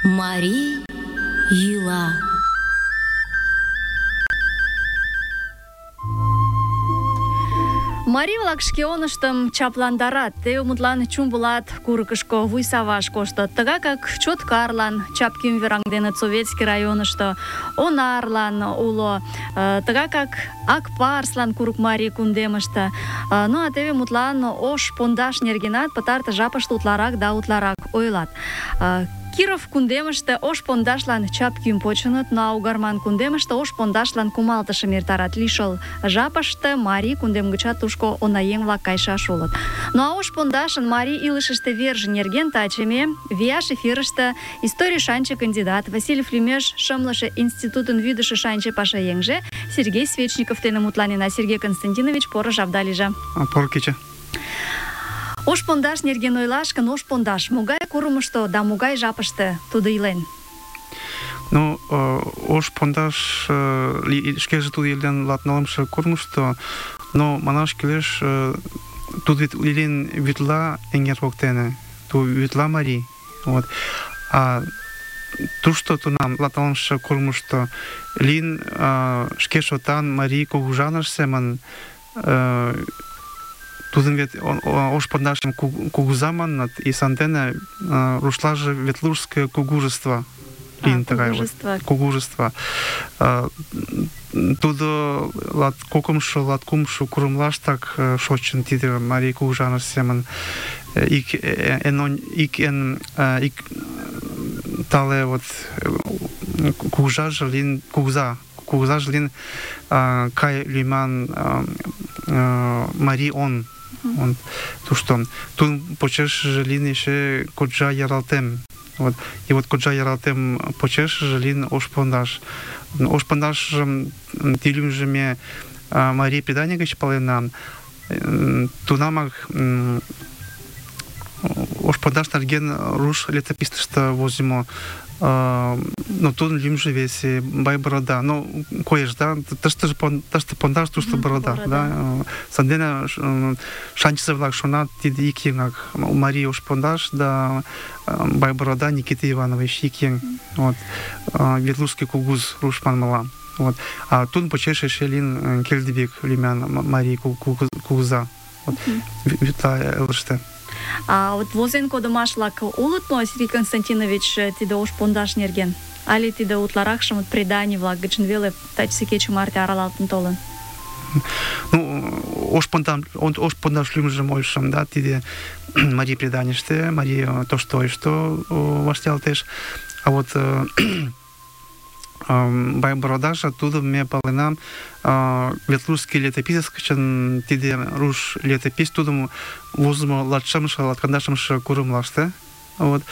Марий йӱла. Марий-влак шке оныштым чапландарат. Теве мутлан Чумбулат курыкышко вуй саваш коштыт. Тыгакак Чоткарлан Чапким вераҥденыт Советский районышто, Онарлан уло, тыгакак Акпарслан Курыкмарий кундемыште. Ну а теве мутлан ош пондаш нергенат пытартыш жапыште утларак да утларак ойлат. Киров кундемыште ош пондашлан чапкӱм почыныт, но Угарман кундемыште ош пондашлан кумалтышым эртарат. Лишыл жапыште марий кундем гычат тушко онаеҥ-влак кайышаш улыт. Ну а ош пондашын марий илышыште верже нерген таче ме вияш эфирыште историй шанче кандидат, Васильев лӱмеш шымлыше институтын вӱдышӧ шанче пашаеҥже Сергей Свечников дене мутланена. Сергей Константинович, поро жапда лийже. Поро кече. Ош пондаш нерген ойлаш гын, ош пондаш могай курымышто да могай жапыште тудо илен? Ну, ош пондаш шкеже тудо илен латнылымше курымышто, но манаш кӱлеш, тудо вет илен Вӱдла эҥер воктене, тудо Вӱдла марий. Вот. А тушто тунам латнылымше курымышто лийын шке шотан марий кугыжаныш семын. Тудым вет ош пондашым кугуза манныт, и сандене рушлаже Ветлужское кугужество. Кугужество. Тудо латкокымшо курымлаштак шочын тиде марий кугыжаныш семын. Ик тале вот кугужаже лийын кугызаже лийын Кай лӱман марий он тушто. Тудын почешыже лийын эше Коджа Яралтем. Вот. И вот Коджа Яралтем почешыже лийын ош пондаш. Ош пондашым тӱлымжӧ ме марий предание гыч палена. Тунамак ош пондаш нерген руш летописьыште возымо. Но тудын лӱмжӧ весе Байборода. Ну, коеш, да? Тыште пондаш, тушто борода. Да? Сандене шанчызе-влак шонат, тиде ик еҥак. Марий ош пондаш да Байборода Никита Иванович ик еҥ. Вот. Ветлужский кугуз руш манмыла. Вот. А тудын почеш эше лийын Келдебек лӱман марий кугуза. Вот. Вӱдла элыште. А вот возен кодымаш-влак улыт мо, Сергей Константинович, тиде ош пондаш нерген? Али тиде утларакшым преданий-влак гычын веле тачысе кече марте аралалтын толын? Ну, ош пондаш лӱмжым ойлышым, да, тиде марий преданийыште, марий тошто вашталтеш. А вот Байбородаже тудым ме паленам Ветлужский летописец гычын тиде руш летопись тудым возымо латкандашымше курымлаште. Вот.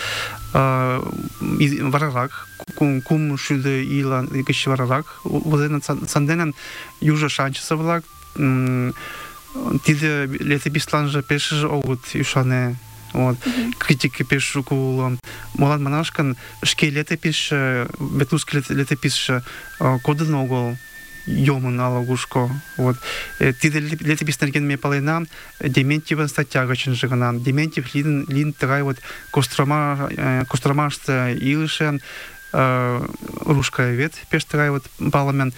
Варарак, кум шӱдӧ ийлан гыч варарак возеныт. Сандене южо шанчысе-влак тиде летописланже пешыже огыт ӱшане. Вот. Критика пеш шуко уло. Молан манаш гын, шке летописьше, Ветлужский летописьше кодын огыл, йомын ала-кушко. Вот. Тиде летопись нерген ме палена Дементьевын статья гычынже гына. Дементьев лийын тыгай вот Костромаште илыше русская вет, пеш тыгай вот палымен.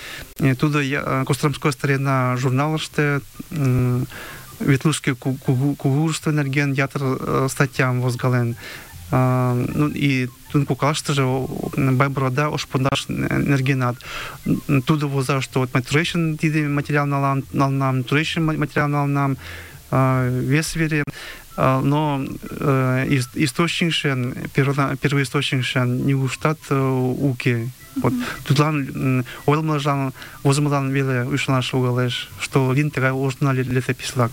Тудо Костромская старина журналыште Ветлужский кугужество нерген ятыр статьям возгален. Ну и тудын коклаштыже Байборода ош пондаш нергенат. Тудо воза, что вот Туреччин тиде материал налнам, Туреччин материал налнам, вес вере. Но источникше, первоисточникше не уштат уки. Вот. Тудлан ойлмалжан возымылан веле ӱшанаш логалеш, что лийын тыгай ожно летопись-влак.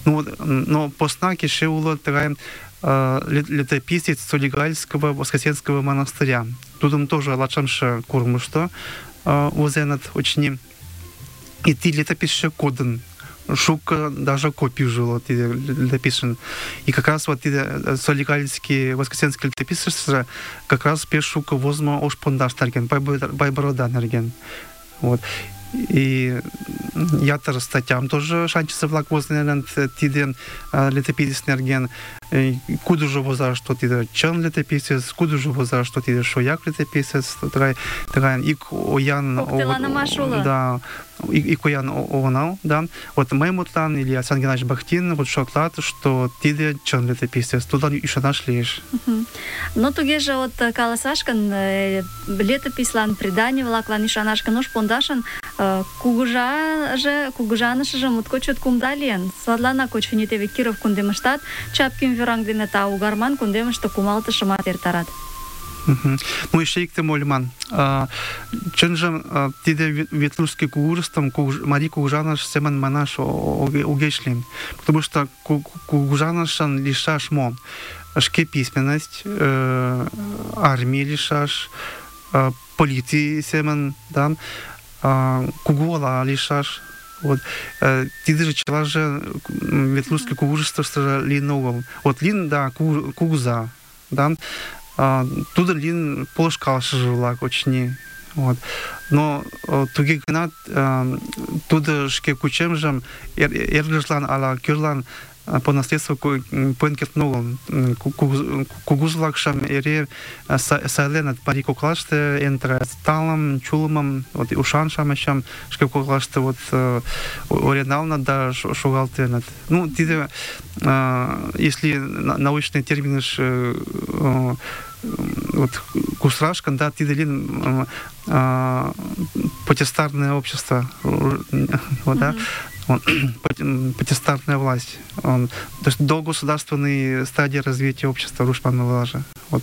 Но посна кеше уло тыгай летописец Солигальского Воскресенского монастыря. Тудым тоже латшымше курымышто возеныт очни. И ти летописьше кодын. Шука даже копию жило летописен. И как раз вот Солигальский Воскресенский летописец как раз пеш шука возмо ош пондаш нерген, Байборода нерген. Вот. и ятыр статьям тоже шанчысы-влак возленыт тиде летописец нерген. Кудыжо воза, что тиде чын летописец, кудыжо воза, что тиде шояк летописец, тыгай ик оян... Коктеланымаш уло. Да, ик оян онал, да. Вот мый мутлан или Александр Геннадьевич Бахтин вот шотлат, что тиде чын летописец, тудлан ӱшанаш лиеш. Ну, тугеже вот каласаш гын, летопислан, преданий-влаклан ӱшанаш гын, ош пондашын кугыжанышыже моткоч чот кумда лийын. Садланак очыни теве Киров кундемыштат Чапкин вӱраҥдене, а Угарман кундемыште кумалтышымат эртарат. Ну, еще иктым ойлыман. Чынжым тиде ветлужский кугужеством Марий Кугыжаныш семын манаш огеш лийын. Потому что кугыжанышын лишаш мо? Шке письменность, армии лишаш, полиции семын, да, кугуола лишаш. Вот тиде чылаже ветлужский кугужествышто лийын огыл. Вот лийын, да, кугуза, да, тудо лийын полышкалышыже-влак, очыни. Вот. Но туге гынат тудо шке кучемжым эргыжлан ала кӧрлан по наследству пуэн кертын огыл. Кугуз-влакшым эре сайленыт марий коклаште эн талым, чулымым, вот ушан-шамычым шке коклаште вот орен да шогалтеныт. Ну, тиде, если научный термин вот кусрашкан, да, тиде лин потестарное общество, вот, да, потестарная власть. То есть до государственной стадии развития общества рушпан влажа. Вот.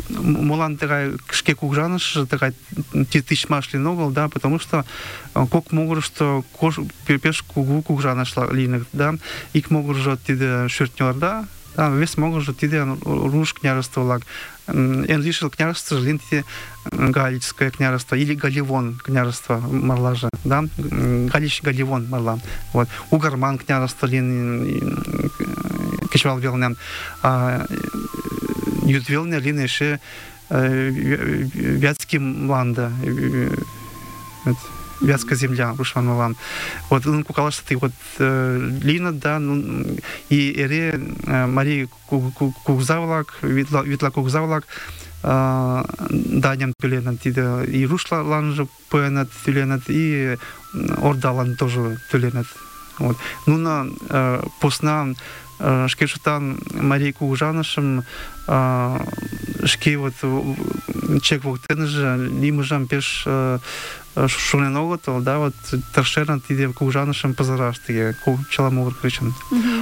Мулан такая шке кугжаныш, такая тысячмаш линогал, да, потому что как могут, что пеш кугжаныш линок, да, их могут же тиде шертнер, да, весь могут же тиде руш княжество лаг. Эн лишил княжество линти Галицкое княжество или Галивон княжество марлажа, да, Галич Галивон марла. Вот. Угарман княжество лин кичвал велнен. Ютвелне лин еще Вятский ланда. Вятская земля, Рушван-Малан. Вот, ну, кукалаш ты вот лина, да, ну, и эре Мария Кугзавлак, Витла Кугзавлак, Даням тюленат, и Рушла ланжа пуэнат тюленат, и Ордалан тоже тюленат. Вот. Ну, на посна шкешутан Мария Кугжанышым шке вот чек воктенже лимыжам пеш шунен оготол, да, вот таршерна тиде Кугжанышым пазараштыге, кучаламовыр кричен.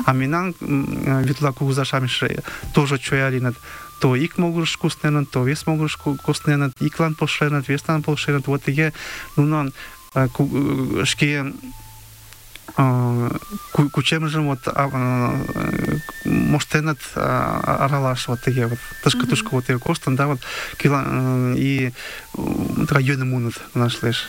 А минан Витла Кугзашамише тоже чоялинат. То ик могуш вкусненат, то вес могуш вкусненат, иклан полшенат, веслан полшенат. Вот тиге, ну, шке кучемжем вот моштенат аралаш вот тиге вот тышка вот тиге костан, да, вот и районы мунут нашлеш.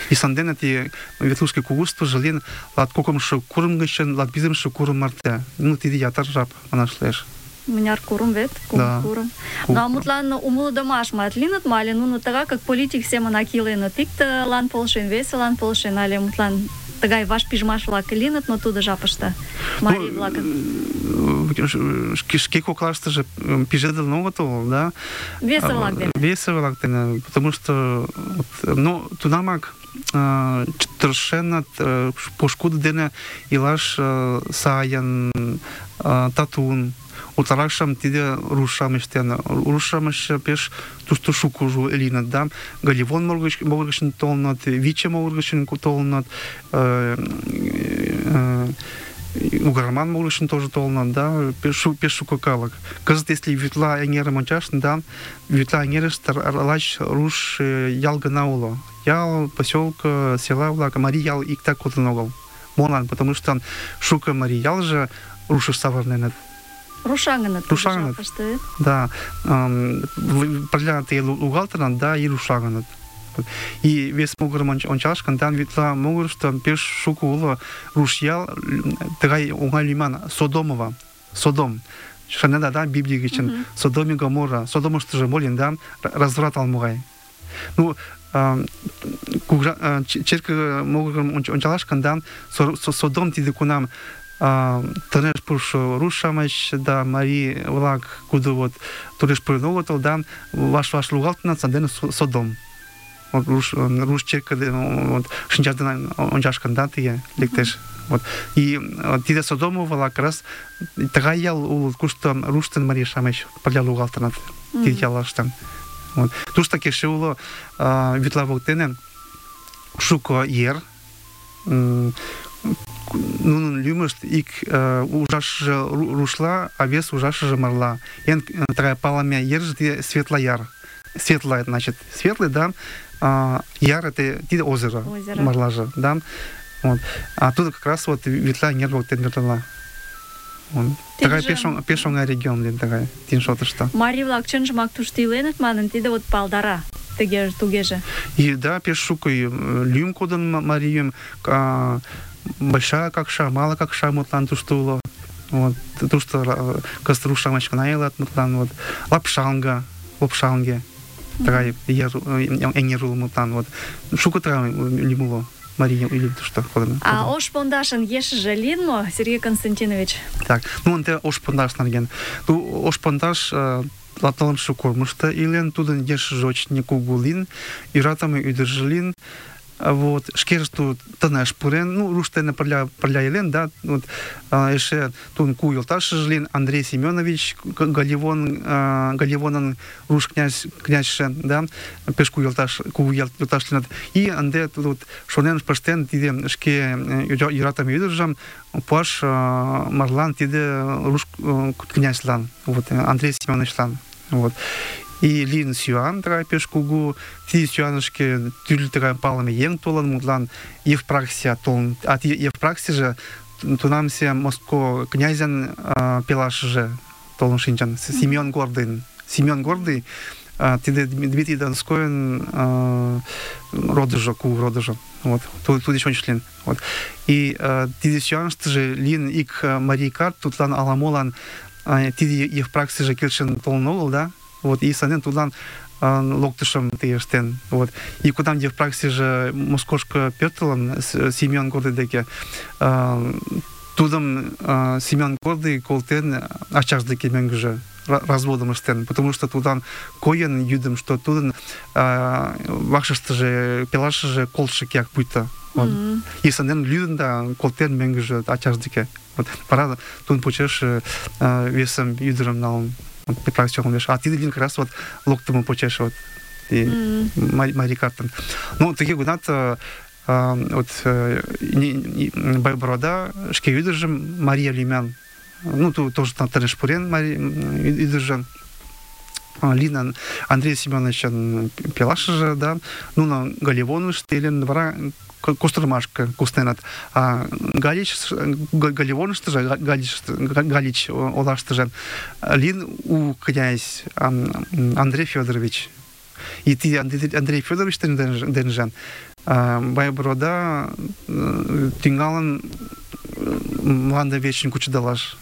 И санденат и ветлужский кугуство жален лат кокомшо курмгышен, лат биземшо курм марте. Ну тиде ятар жап нашлеш. Мыняр курым вет, курым. Ну, а мутлан умылыдымаш матлинат мали, ну, тага, как политик семын акиленыт, икте лан полшен, весе лан полшен, але мутлан тагай ваш пижмаш-влак линат, но тудо жапыште марий-влакын. Шке коклаштыже пижедыл огытыл, да? Весе-влак дене. Весе-влак дене, потому что, ну, тунамак тыршенат пошкуды дене илаш саян, татун, утаракшам тиде рушам иштен. Рушам еще пеш туштушу кужу элинат, да? Галивон могыргышын толнат, Виче могыргышын толнат, Угарман могыргышын тоже толнат, да? Пешу кокалак. Казат, если Витла эңерым ончашын, да? Витла эңерыштар алач руш ялга науло. Ял, поселка, села влака, Мари ял икта котыногал. Молан, потому что шука Мари ял же рушиш саварненет. Рушаганат. Рушаганат. Да. Проглянатые лугалтернат, да, и рушаганат. И весь могурым ончашкан, там Витла могур, что пеш шуку уло рушьял, тагай угай лиман, Содомова. Содом. Шанеда, да, Библии гичен. Содом и Гоморра. Содом, что же молин, да, разврат алмугай. Ну, черке могырым ончалаш гын, Содом тиде кунам тынеш пурышо руш-шамыч да марий-влак, кудо вот тореш пурен огытыл, да, ваш-ваш лугалтыныт, сандене Содом. Вот руш черке шинчаш дене ончаш гын, да, тыге лектеш. Вот. И тиде Содом-влак раз тыгай ял улыт, кушто руш ден марий-шамыч пырля лугалтыныт тиде яллаште. Вот. Тушто кеше уло вӱдла воктене шуко ер. Нунын лӱмышт ик ужашыже рушла, а вес ужашыже марла. Эн тыгай палыме ерже тиде Светлый Яр. Светлый, значит, светлый, да. Яр это тиде озеро. Марлаже, да. Вот. А тут как раз вот вӱдла ер воктен верлала. Тыгай пеш оҥай регион лийын, тыгай тин шотышто. Марий-влак чынжымак тушто иленыт манын, тиде вот палдара. Тугеже. И да, пеш шуко лӱм кодын марийым, большая какша, мала какша мутлан тушто уло. Вот. Тушто кызыт руш-шамыч гына илат мутлан. Вот. Лопшалге. Тыгай эҥер уло мутлан. Вот. Шуко тыгай лӱм уло. Мария или что ходим. А ош пондашын ешыже лийын мо, Сергей Константинович? Так, ынте ош пондаш нерген. Ош пондаш латалымшы кормышто илен, тудын ешыже очень кугу лийын, иратаме ӱдыржӧ лийын. Вот, шкеже тут тынеш пурен, руш дене пырля илен, да, вот, эше тудын кугу йолташыже лийын, Андрей Семенович Галивонын руш князьше, да, пеш кугу йолташ лийыныт. И ынде тут шонен пыштен тиде шке йӧратыме ӱдыржым пуаш марлан тиде руш князьлан, вот, Андрей Семеновичлан, вот. И лийын сӱан тыгай пеш кугу, тиде сӱанышке тӱрлӧ тыгай палыме еҥ толын, мутлан Евпраксия толын. А тиде Евпраксийже тунамсе Моско князьын пелашыже толын шинчын, Семен Гордый. Семен Гордый, тиде Дмитрий Донскойын родыжо, кугу родыжо. Вот, тудыч ончыш лийын. Вот. И тиде сӱаныштыже лийын ик марий карт, тудлан ала-молан тиде Евпраксийже келшен толын огыл, да? Вот, и санден тудлан локтышым тыге ыштен. Вот. И кудам Евпраксийже Москошко пӧртылын Семен Гордый деке, тудым Семен Гордый колтен ачаж деке мӧҥгыжӧ разводым ыштен, потому что тудан койын йӱдым, что тудын вакшыштыже пелашыже колтшо кияк пуйто. Вот. И санден лӱдын да колтен мӧҥгыжӧ ачаж деке. Вот. Вара тудын почеш весым ӱдырым налын. А тиде лийын как раз вот локтымо почеш вот марий картын. Ну, тыге гынат, вот Байборода шке ӱдыржым Мария лӱман, ну, тоже тынеш пурен ӱдыржӧ, лийын Андрей Семеновичын пелашыже, да, нуно Галивонышто илен, вара Костромашке кусненат. А Галивоныштыже, Галич олаштыже лийын у князь Андрей Федорович. И тиде Андрей Федорович денже Байборода тӱҥалын мланде вечын кучедалаш.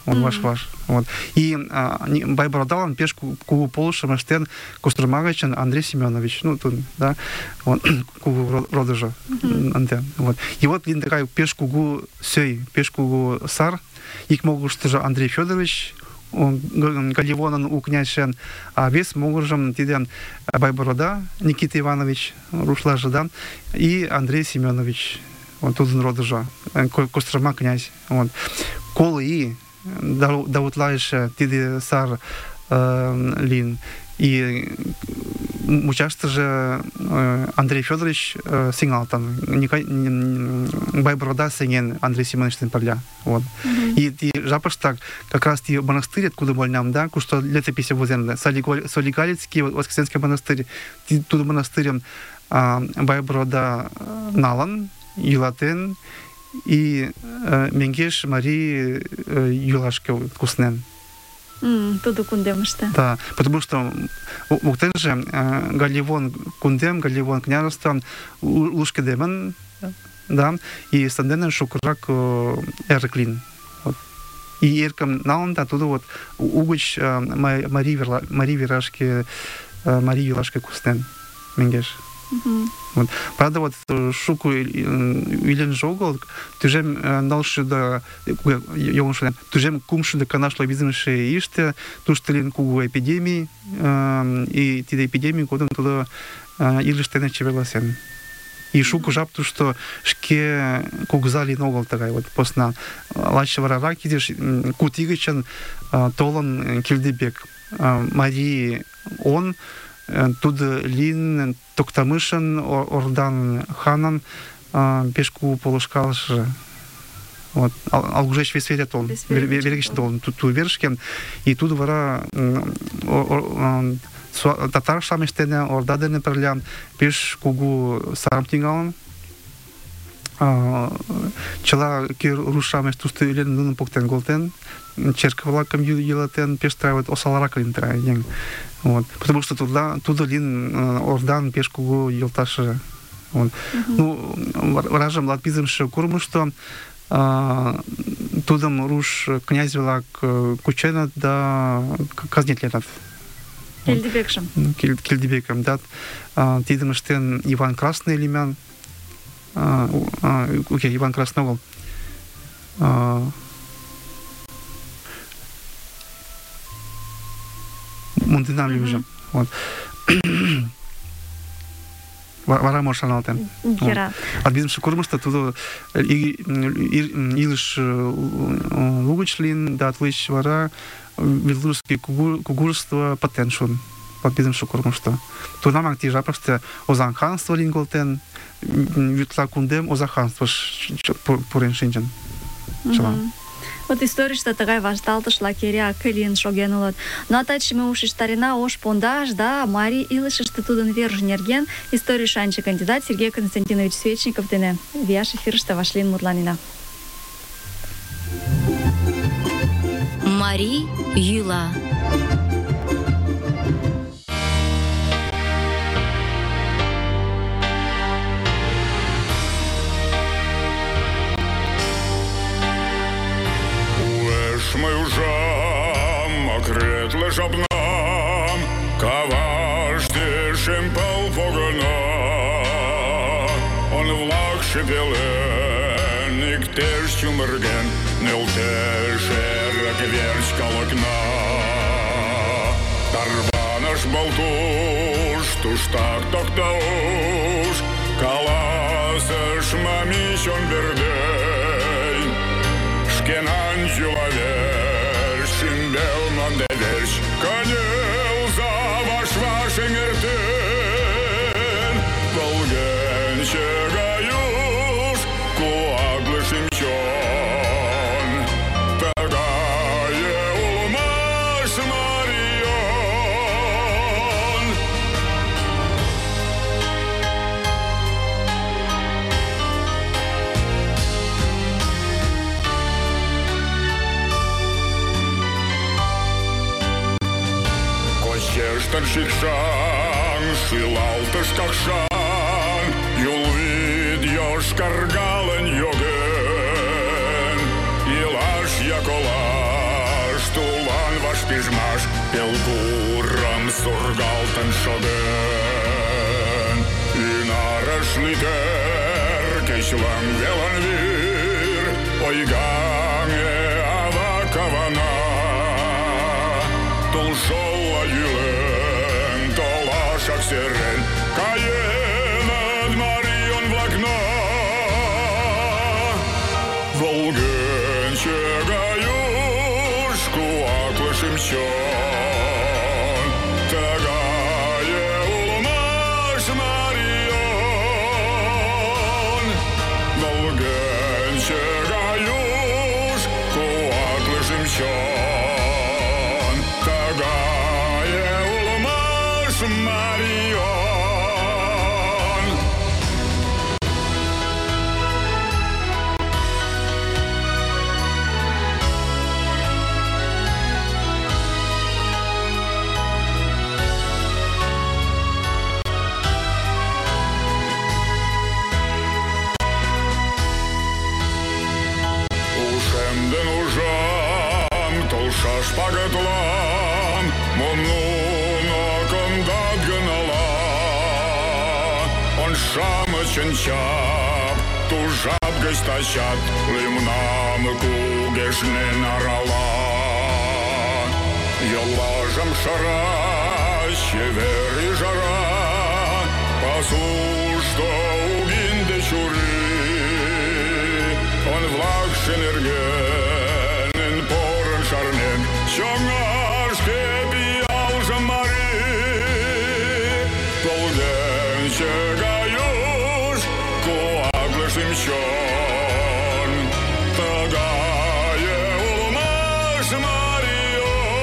Он ваш. Вот. И Байбородалан пеш кугу полышым ыштен Кострома гычын Андрей Семенович, ну, тут, да, вот, кугу родыжо. Вот. И вот лийын тыгай пеш кугу сӧй, пеш кугу сар, ик могырыштыжо Андрей Федорович, Галивонын у князьшен, а вес могыржым тиде Байборода Никита Иванович, рушлаже, да, и Андрей Семенович, вот, тудын родыжо, Кострома князь. Вот. Колы и да утлайше тиде сар лийын. И мучаштыже Андрей Федорович сеҥалтын. Байборода сеҥен Андрей Семеновичтен пырля. Вот. И жапыштак как раз тиде монастырь, откуда больням, да, кушто летописи возен, Солигалицкий, Воскресенский монастырь, тудо монастырьым Байборода налын, йӱлатен, и меҥгеш марий йӱлашке куснен. Тудо кундемыште. Да, потому что воктенже Галивон кундем, Галивон княжество лушкедемын, да, и санденен шукырак эрык лийын. Вот. И эркым налын да, тудо вот угыч марий йӱлашке куснен меҥгеш. Вот. Правда, вот шуку илен жогол, тужем налшуда, тужем кумшуда канашло бизнесе иште, туштелин кугу эпидемии, и тиде эпидемии годом туда илиштене чевеласен. И шуку жап то, что шке кугзали ногол такая вот посна лачевара ракидиш кутигичен толон килдебек Марии он тут лин токтамышын ордан ханан пешку полушкалыш вот алгужеш весвере тол вергичен тол тут вершкен и тут вара татар шамештене ордадене перлям пеш кугу сарамтингалан чела кир рушамеш тусты илен нунун поктен голтен черковлакам юлатен пеш травит осаларакалин траен вот потому что туда лин ордан пеш кугу юлташы вот ну ражам латпизымшы курму что тудам руш князь велак кучена да казнетленат Кельдебекшем. Кельдебеком, да. Тидемштен Иван Красный лимян. Окей, Иван Красного. Мундинам лимжем. Вот. Вара мошаналтен. Гера. Адбизмшы курмышта туда илыш лугучлин, да отлыч вара белорусский кугурство потеншун. Подбизмшы курмышта. Туда мак тижа просто озанханство линголтен, витла кундем озаханство пурен шинчен. Вот история такая вашталтышла керя кылин шоген улат. Но атачме ушиштарина ош пондаш, да, Мари илышышты тудын верж нерген история шанчы кандидат Сергей Константинович Свечников дене вияш эфирыште вашлин мутланина. Мари йӱла. Мой ужам, окретле жабнам, кавашти шимпал погана. Он влак шепелен, иктеш чумерген, нелтешер кверч калокна. Тарбанаш балтуш, туштак токтауш, каласыш мамищон бердей. Шкенан жулавер, шинбел мандеверш, конел за ваш ингертен. Волген чегаюш, куаглы шимчон. Тагае улмаш Марион. Кощештен шикшан, шилалтыш какшан, юлвид йошкаргален йоген. Илаш яколаш, тулан ваш пижмаш, пелгурам сургалтен шоген. Инараш литер, кечлан велан вир, ойганге ава кавана. Тулшола юлен, толашак серен, каенад Марион влакна. Волген чегаюш, куаклы шимчон. Тагае улмаш Марион. Волген чегаюш, куаклы шимчон. Тагае улмаш Марион. Ушемден ужам, толшаш пагатлам, монуно кондат гынала. шамычын чап, тужат гыч тачат лӱмнам кугешнен арала. Йоллажым шара, чевер ӱжара, пасушто угинде чурий, он-влакше нергенын порын шарнен, чоҥашке пиалжым марий. Волгенче гай юж куатле шӱм-чон, тыгае улмаш Марион.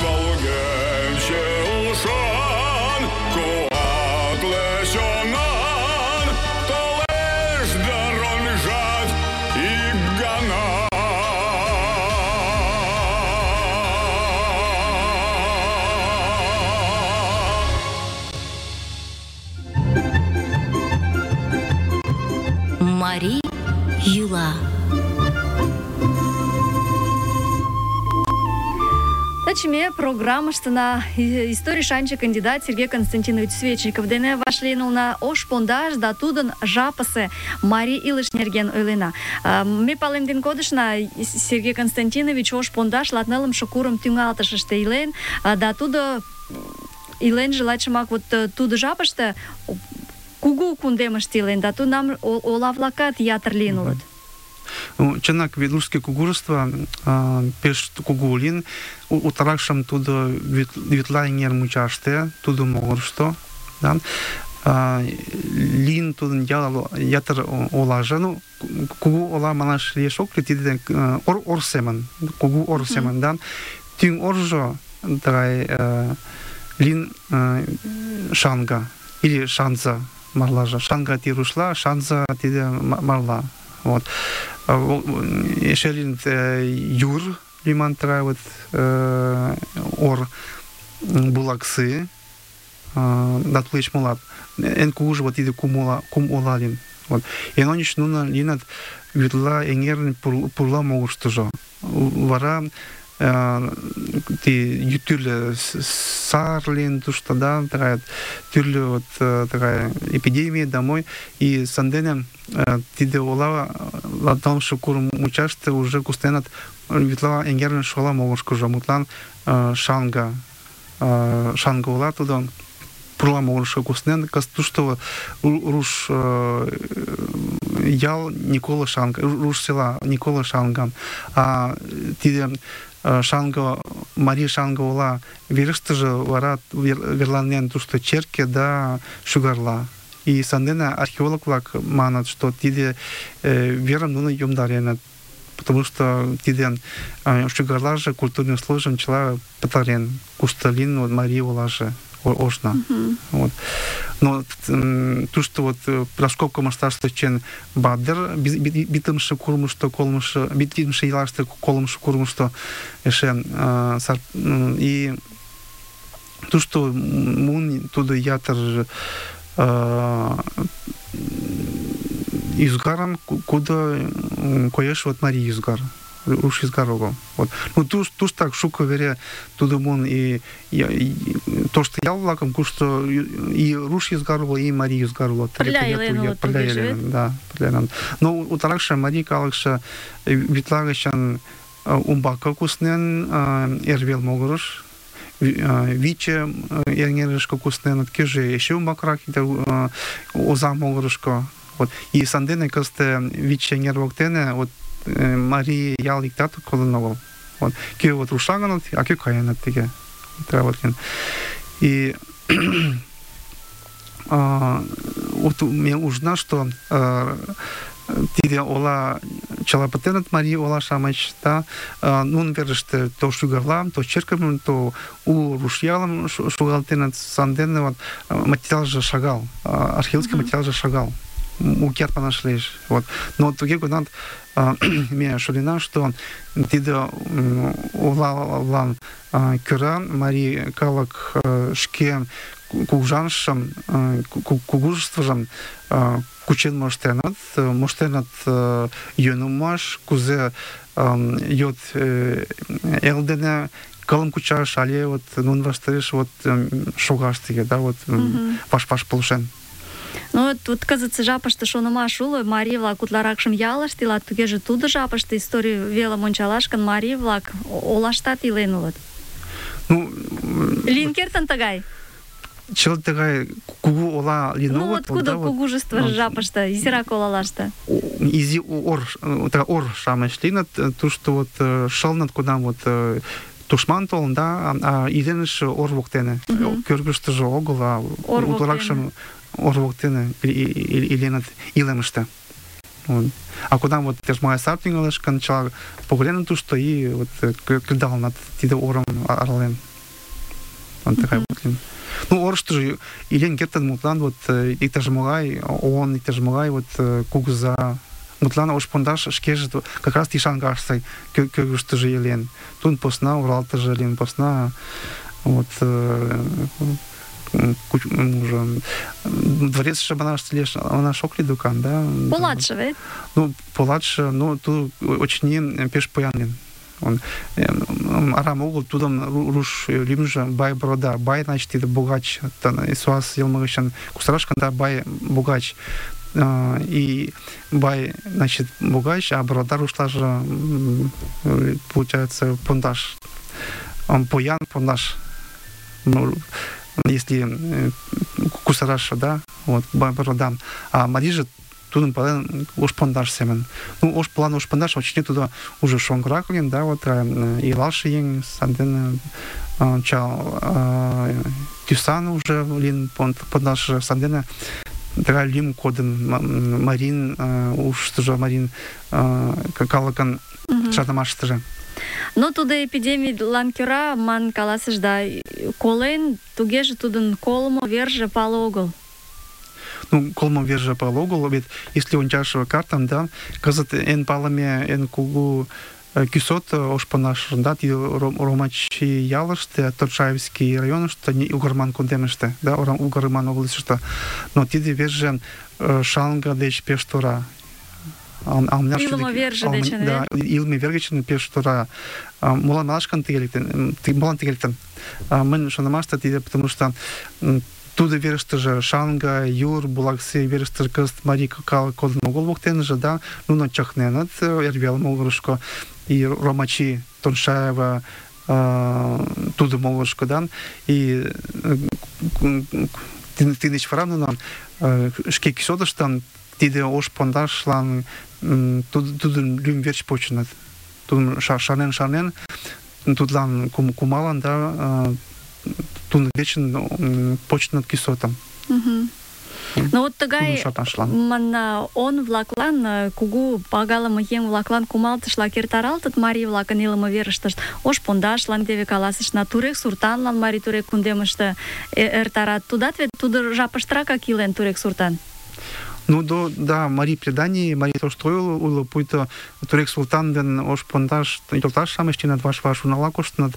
Волгенче ушан, куатле чонан, толеш дыронжат ик гана. Мари йӱла. Таче ме программыштына историй шанче кандидат Сергей Константинович Свечников дене вашлийын улына, ош пондаш да тудын жапысе марий илыш нерген ойлена. Ме палемден кодышна, Сергей Константинович ош пондаш 14-шы курым тӱҥалтышыште илен, да тудо иленже лачымак вот тудо жапыште кугу кундемыште илен, да тунам ола-влакат ятыр лийын улыт. Чынак, Ведлужский кугурство пеш кугу лийын, утларакшым тудо Вӱдла эҥер мучаште, тудо могырышто, да, лийын тудын ятыр олаже, ну, кугу ола манаш лиеш ок лий, тиде ор семын, кугу ор семын, да, тӱҥ оржо тыгай лийын Шанга или Шанза марлаже. Шанга тиде рушла, Шанза тиде марла. Вот. Эше лийын Юр лийман тыгай вот ор булаксы, да тулеч молат. Эн кугужо вот тиде кум ола лийын. Вот. Эн ончыч нуно лийыныт Вӱдла эҥерын пурла могырыштыжо. Вара тӱрлӧ сар лийын тушто, да, такая тӱрлӧ вот такая эпидемия домой, и сандене тиде ола 14-шы курым мучаште уже кусненат Вӱдла эҥерын шола могырышкыжо, мутлан Шанга ола тудо пурла могырышко куснен, кызыт тушто руш ял Никола Шанга, руш села Никола Шанга, а тиде Шанга, Марий Шанга ола верыштыже вара верланен тушто черке да шӱгарла. И сандене археолог-влак манат, что тиде верым нуно йомдареныт, потому что тиде шӱгарлаже культурный слоежым чыла пытарен, кушто лийын вот Марий олаже ошна. Вот. Но тушто вот раскопка маштабыште чен Бадыр битымше курымышто, битымше ялаште колымшо курымышто эше и тушто мун тудо ятыр ӱзгарым, кудо коеш вот Марий ӱзгар. Руш ӱзгар огыл. Вот. Ну, туштак шуко вере тудо мун и тошто ял-влакым, кушто и руш ӱзгар уло, и Марий ӱзгар уло. Пырля илен улыт тугеже вет? Да, пырля. Но утларакше Марий калыкше Вӱдла гычын умбаке куснен Эрвел могырыш, Виче эҥерышке кусненыт, кӧжӧ эше умбакрак Озаҥ могырышко. Вот. И сандене кызыт Виче эҥер воктене вот Марий ял иктат кодын огыл. Вот. Кӧ вот рушаҥыныт, а кӧ каеныт тыге. И вот ме ужна, что тиде ола чыла пытеныт Марий ола-шамыч, да, нунын верыште то шӱгарлам, то черкым, то у руш ялым шогалтеныт, сандене вот материалже шагал, археологический материалже шагал. Укет манаш лиеш. Вот. Но туге гынат ме шонена, что тиде олалан кӧра Марий калык шке кугыжанышым, кугужествыжым кучен моштеныт йӧным муаш, кузе йот эл дене кылым кучаш, але вот нун ваштареш вот шогаш тыге, да, вот ваш-ваш полшен. Ну, тут кызытсе жапыште шонымаш уло, марий-влак утларакшым ялыште илат, тугеже тудо жапыште историй велым ончалаш гын, марий-влак олаштат илен улыт. Ну, Лийын кертын тыгай? чылт тыгай кугу ола лийын Ну, огыл, вот кудо да, вот. кугужество жапыште, изирак олалаште? Изи ор-шамыч лийыныт, тушто вот шылыныт, кунам вот тушман толын, да, а иленыш ор воктене. Кӧргыштыжӧ огыл, а утларакшым ор воктене иленыт илемыште. Вот. А кунам вот тяжмая сар тӱҥалеш гын, чыла погленыт тушто и вот кредалыныт тиде орым арален. Вот такая вот. Ну, орыштыжо илен кертын, мутлан вот иктаж-могай ООН, иктаж-могай вот кугыза, мутлан ош пондаш шкеже как раз Ишангаште кӧргыштыжӧ илен. Тудын посна Уралтыже илен, посна вот дворецше манаш ок лий докан, да? Полатше вет? Ну, полатше, ну, тут очыни пеш поян лийын. Он арам огыл тудым руш лӱмжӧ Бай Борода. Бай, значит, тиде богач, суас йылме гычын кусараш гын, Бай богач. И Бай, значит, богач, а Борода рушлаже, получается, пондаш. Он поян, пондаш. Если кусараш, да, вот, Бай Борода. А Мари же тудын пален ош пондаш семен. Ну, ош пондаш, очне туда уже шоҥгырак лийын, да, вот, илалше еҥ, сандене чал тӱсан уже лийын пондаш, сандене тыгай лӱм кодын Марин ушыштыжо, Марин калыкын шарнымаштыже. Но тудо эпидемийлан кӧра ман каласыш да колен, тугеже тудын колымо верже пале огыл. Ну, колмо верже пале огыл, вет если ончаш картам, да, кызыт эн палыме, эн кугу кӱсот ош пондаш, да, тиде Ромачи ялыште, Торчаевский районыште, Угарман кундемыште, да, Угарман областьыште. Но тиде верже Шалга деч пеш тора. Илыме верже дечын, да, илыме вер гычын пеш тора. Молан малашкан тыге лектын? Мын шонымаште тиде, потому что тудо верыштыже Шанга, Юр, Булаксы верыштыже кызыт марий кодын огыл воктеныже, да, нуно чакненыт эрвел могырышко, и Ромачи, Тоншаева тудо могырышко, да, и тидеч вара нуно шке кӱсотыштан тиде ош пондашлан тудын лӱм верч почыныт. Тудым шарнен, тудлан кумалан, да, тудын вечын почыныт кӱсотым. Ну вот тыгай он-влаклан, кугу пагалыме еҥ-влаклан кумалтышла эртаралтыт марий-влакын илыме верыштышт. Ош пондашлан теве каласышна, Турек суртанлан марий Турек кундемыште эртарат. Тудат вет тудо жапыштракак илен Турек суртан. Ну, да, марий преданий, марий тошто уло, пуйто Турек султан ден ош пондаш йолташ-шамыч тинат ваш-ваш унала коштыныт.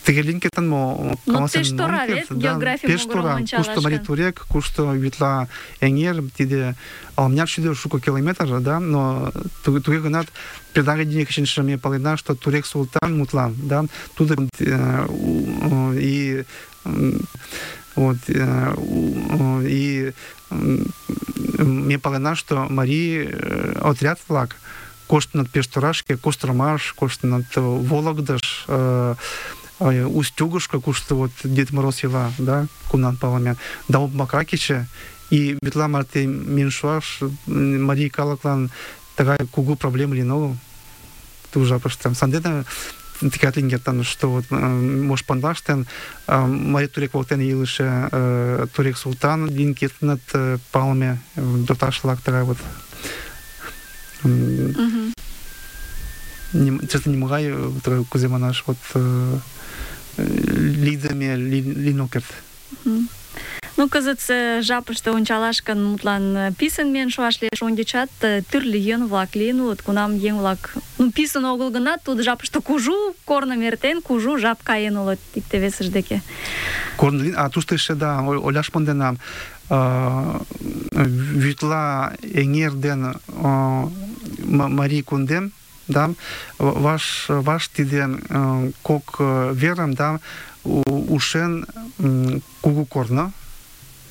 Тыге лийын кертын мо? Ну, пеш тора вет, географий могырым ончалаш кушто марий Турек, кушто Витла эҥер, тиде алмняк шӱдӧ шуко километр, да, но туге гынат преданий гычын ме палена, что Турек султан мутлан, да, тудо и вот, и ме палена, что марий отряд-влак коштынат пеш торашке, Костромаш, коштынат Вологдыш, Устюгушка, кушто вот Дед Мороз ила, да, кунан палыме, да Макакиче, и Витла марте Миншуаш, марий калыклан тыгай кугу проблема лийын огыл. Ту жапыште. Сандене тыгат лийын кертын, что вот ош пондаштен марий Турек воктене илыше Турек султан лийын кертыныт палыме йолташ-влак тыгай вот. Честно, нимогай кузе манаш вот лидеме лийын ок керт. Ну, кызытсе жапыште ончалаш гын, мутлан писын миен шуаш лиеш, ончычат тӱрлӧ йӧн-влак лийын улыт, кунам еҥ-влак, ну, писын огыл гынат, тудо жапыште кужу корным эртен, кужу жап каен улыт икте-весышт деке. Корно лийын, а тушто эше, да, ойлаш монденам, Вӱтла эҥер ден марий кундем да, ваш тиде кок верам, да, ушен кугу корно.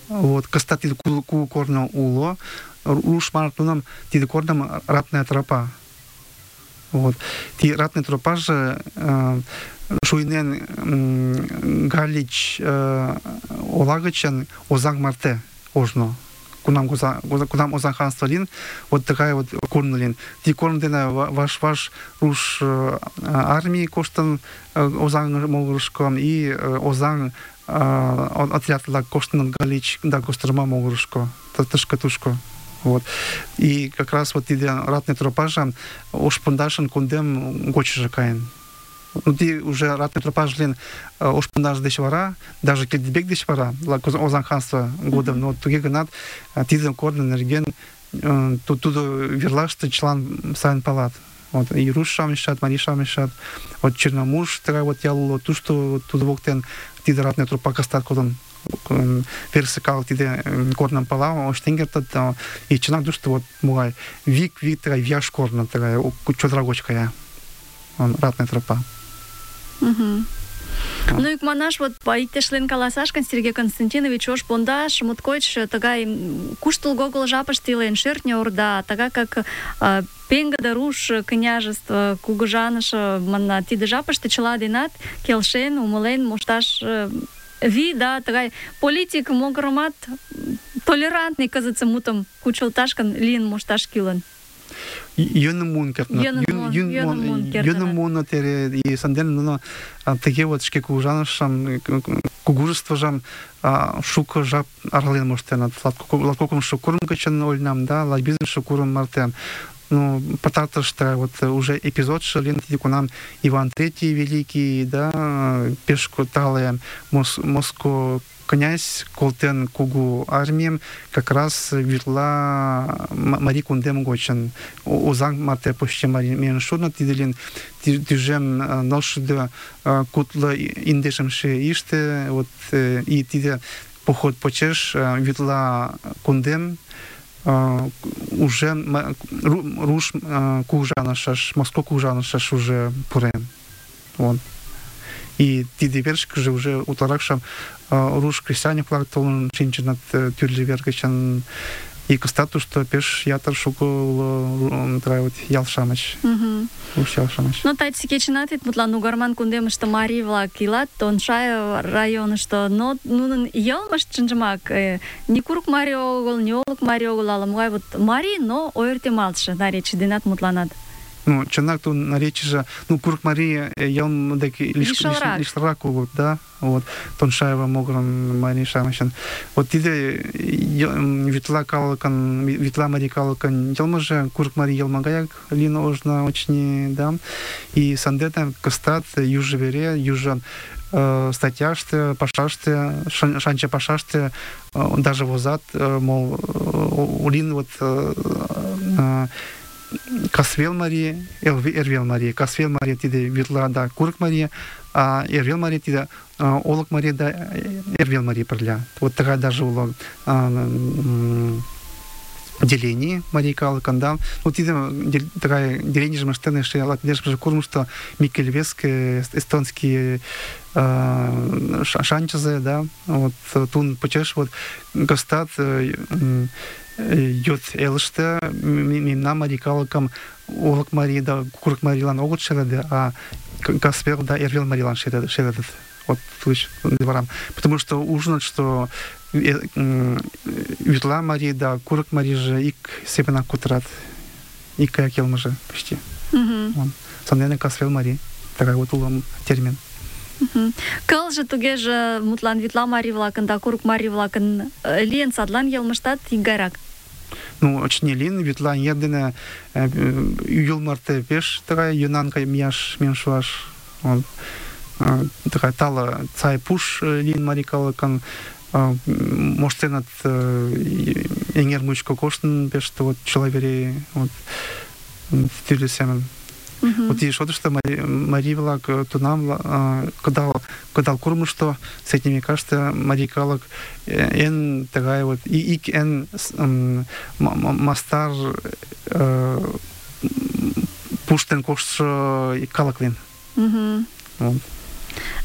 Вот, кстати, тиде кугу корно уло, руш мартуном тиде корном ратная тропа. Вот. Ти ратная тропа же шуйнен галич олагачен озаң марте ожно. Кунам озаң ханство лин, вот такая вот корна лин. Ти корн дена ваш руш армии коштан озаң могырышком и озаң отряд коштан галич да костерма могырышко, тышка-тушко. Вот. И как раз вот иде ратная тропа же ошпундашен кундем гочи каен. Ну, ти уже ратная тропа же ошпундаш деш вара, даже кедбек деш вара, озаң ханство годом, но туге гынат тиден корны нерген тудо верлашты члан сайын палат. Вот, и руш шамешат, мари шамешат, вот черномуж такая вот ялуло, ту, что туда воктен тиде ратная тропа кастат кодон персикал тиде корном пала, оштенгертат, и чинак душто вот мугай вик такая вяж корна такая, чодрагочкая, ратная тропа. Ну и манаш вот иктешлен каласашкан Сергей Константинович ош пондаш моткоч тагай куштылго огыл жапыште илен шӧртньӧ орда, тага как пеҥгыде руш княжество кугыжаныш манна, тиде жапыште чыла денат келшен, умылен мошташ вий, да, тагай политик могырымат толерантный кызытсе мутым кучылташкан лийын мошташ кӱлын. Йӧным муын кертыныт. Йӧным муыныт эре, и сандене нуно тыге вот шке кугыжанышым, кугужествыжым шуко жап арален моштеныт. Латкокымшо курым гычын ойлынам, да, латбизымше курым марте. Ну, пытатыште вот уже эпизодшы лин кунам Иван III Великий, да, пеш тале Моско князь колтен кугу армием как раз вирла мари кундем гочен. Озаң марте почти мари мен шодна тиделин тижем ношды кутлы индешемше иште, вот и тиде поход почеш вирла кундем уже руш кужанашаш, Моско кужанашаш уже пурен. Вот. И тиде вершик же уже утларакшам руш крестьяне плактолын шинченат тюрли вергачан и кстати, что пеш ятар шуко вот ялшамыч. Руш ялшамыч. Ну тайцы кечинат вет мутлан угарман кундемыште марий-влак илат, Тоншай районышто, но нунын йылмышт чынжымак ни курык марий огыл, ни олык марий огыл, ала-могай вот марий, но ойыртемалтше наречий денат мутланат. Ну, чынак то наречие же, ну, курык марий ялм дек лишрак улут, да, вот, Тоншаева могран марий шамышын. Вот тиде витла калыкан, витла марий калыкан ялмы же курык марий ялмагаяк лина ожна очень, да, и сандетам кастат южа вере, южа статьяшты, пашашты, шанча пашашты, даже возат, мол, улин вот Касвел Мария, Эрвел Мария. Касвел Мария тиде витла да курык Мария, а Эрвел Мария тиде олык Мария да Эрвел Мария перля. Вот такая даже улог деление Марии Калыкан, да. Вот тиде такая деление же маштаны, что я латнешка курм, что Микельвеск, эстонские шанчазы, да. Вот тун почеш вот гостат йод элыште мемна Марий Калыкам олык Марий да курык Марийлан огыт шереде, а Касвел да Эрвел Марийлан шередет. Вот дворам. Потому что ужинают, что витла Мария да курык Мария же ик сепена кутрат, ик каяк елмы же почти. Сандене Касвел Мария. Такая вот улам термин. Кыл же туге же мутлан витла марий-влакын да курык марий-влакын лийын садлан йылмыштат икгайрак. Ну, очень лин, витла едине юл марте пеш такая юнанка мияш меншуаш. Такая тала цай пуш лин Марий Калыкан, моштенат эңер мучко коштын пеш вот человери вот тюрли семен. Вот и что Марий влак тунам кадал курму, что с этими кажется Марий Калык эн такая вот и эн мастар пуштен коштшо калык лийын. Вот.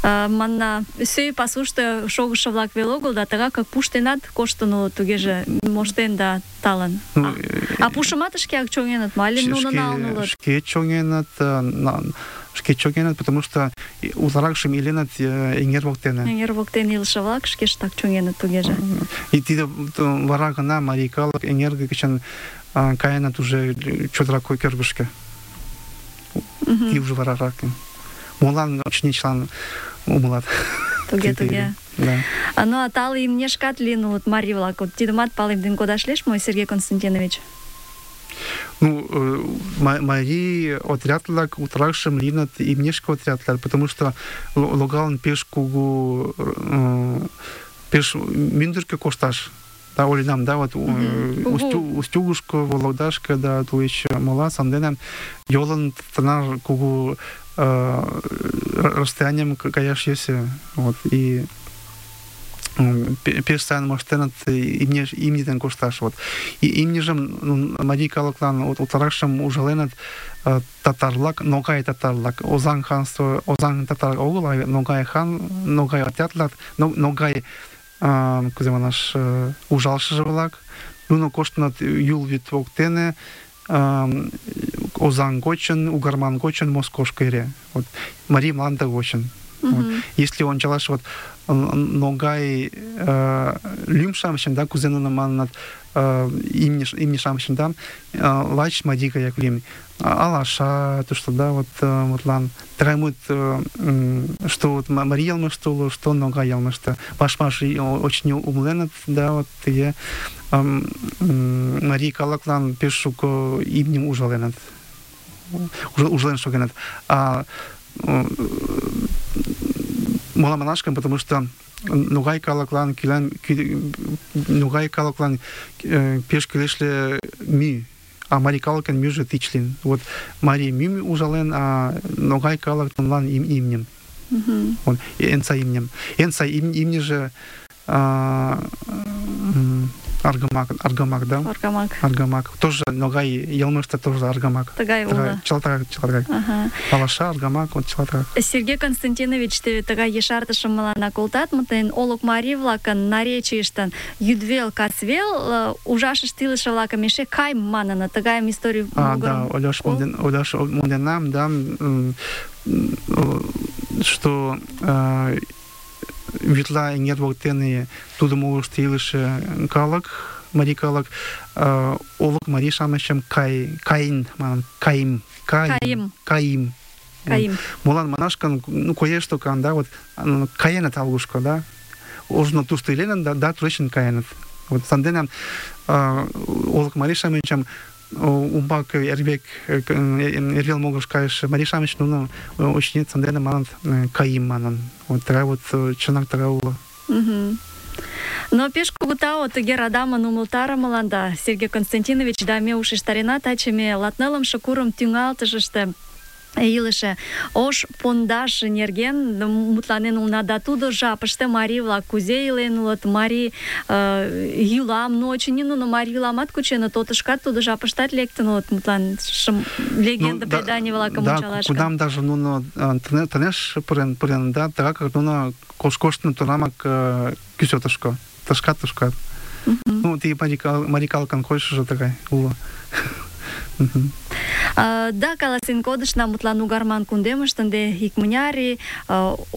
Манна, сӧй пасушто шогышо-влак веле огыл, да тыгакак пуштенат коштын улыт, тугеже моштен да талын. А пушымат шкеак чоҥеныт мо, але нуно налын улыт? Шке чоҥеныт, потому что утларакшым иленыт эҥер воктене. Эҥер воктен илыше-влак шкештак чоҥеныт, тугеже. И тиде вара гына марий калык эҥер гычын каеныт уже чодыра кӧргышкӧ. И уже варарак. Молан очыни чылан умылат. Туге. Да. Ну, а тале имнешкат лийын улыт марий-влак. Вот тидымат палемден кодаш лиеш мо, Сергей Константинович? Ну, марий отряд-влак утларакшым лийыныт имнешке отрядлар, потому что логалын пеш кугу, пеш мӱндыркӧ кошташ. Да, олинам, да, вот Устюгушко, Вологдашко, да, тулеч мола, сандене йолын тынар кугу расстоянием каяш йӧсӧ. Вот, и пеш сайын моштеныт имне дене кошташ. Вот. И имньыжым марий калыклан утларакшым ужаленыт татар-влак, Ногай татар-влак. Озаҥ ханство, Озаҥ татар огыл, а Ногай хан, Ногай отряд-влак, Ногай кузе манаш, ужалышыже-влак. Нуно коштыныт Юл вӱд воктене, Озаҥ гочын, Угарман гочын Москошко эре. Вот. Марий мланде гочын. Вот. Если ончалаш вот Ногай лӱм-шамычын, да, кузе нуно маныныт, имне-шамычын, да, лач марий гаяк лӱм. Алаша, тушто, да, вот мутлан. Тыгай мут, что вот марий йылмышто уло, что Ногай йылмышто. Ваш-ваш очень умыленыт, да, вот тыге марий калыклан пеш шуко имньым ужаленыт. Ужален шогеныт. А молан манаш гын, потому что Ногай калыклан пеш кӱлешле мӱ, а марий калыкын мӱжӧ тич лийын. Вот марий мӱм ужален, а Ногай калык нунылан имньым. Вот, эн сай имньым. Эн сай имньыже Аргамак, да? Аргамак. Тоже Ногай йылмышто тоже Аргамак. Тыгай уло. Чылтырак. Алаша, Аргамак, вот чылтырак. Сергей Константинович, теве тыгай ешартышым мыланна колтат, мутен олык марий-влакын наречийыштын йӱдвел, касвел ужашышт илыше-влакым эше кайм маныныт. Тыгайым историй да, Оляш монденам, да, что вӱдла эҥер воктене тудым олышто илыше калык, марий калык, олык марий-шамычым Каин манын, Каим. Молан манаш гын, коеш токан, да, вот каеныт алгушко, да, ожно тушто иленыт, да, тушечын каеныт. Вот сандене олык марий-шамычым умбак эрвел могырыш кайыше марий-шамыч нуно очыни сандене маныныт Каим манын. Вот тыгай вот чынак тыгай уло. Но пеш кугу тау тыге радамын умылтарымыланда, Сергей Константинович, да ме ушештарена таче ме латнылымше курым тӱҥалтышыште илыше ош пондаш нерген мутланен улына, да тудо жапыште марий-влак кузе илен улыт, марий йӱлам, но очыни нуно марий йӱламат кученыт, отышкат тудо жапыштат лектын улыт, мутлан легенда преданий-влакым ончалаш. Кудам даже нуно тынеш пурен, да, тыгакак нуно коштыныт тунамак кӱсотышко, тышкат. Ну, тиде марий калыкын койышыжо тыгай уло. Да, каласен кодышна, мутлан Угарман кундемыште ынде икмыняр ий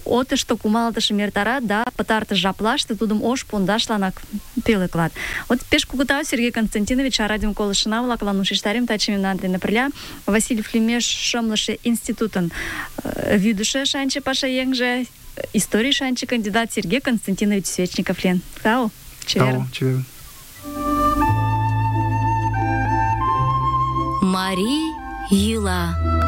отышто кумалтышым эртарат, да пытартыш жаплаште тудым ош пондашланак пӧлеклат. Вот пеш кугу тау, Сергей Константинович, а радиом колышына-влаклан ушештарем таче мемнан дене пырля Васильев лӱмеш шымлыше институтын вӱдышӧ шанче пашаеҥже, историй шанче кандидат Сергей Константинович Свечников лийын. Тау, чеверын. Марий йӱла.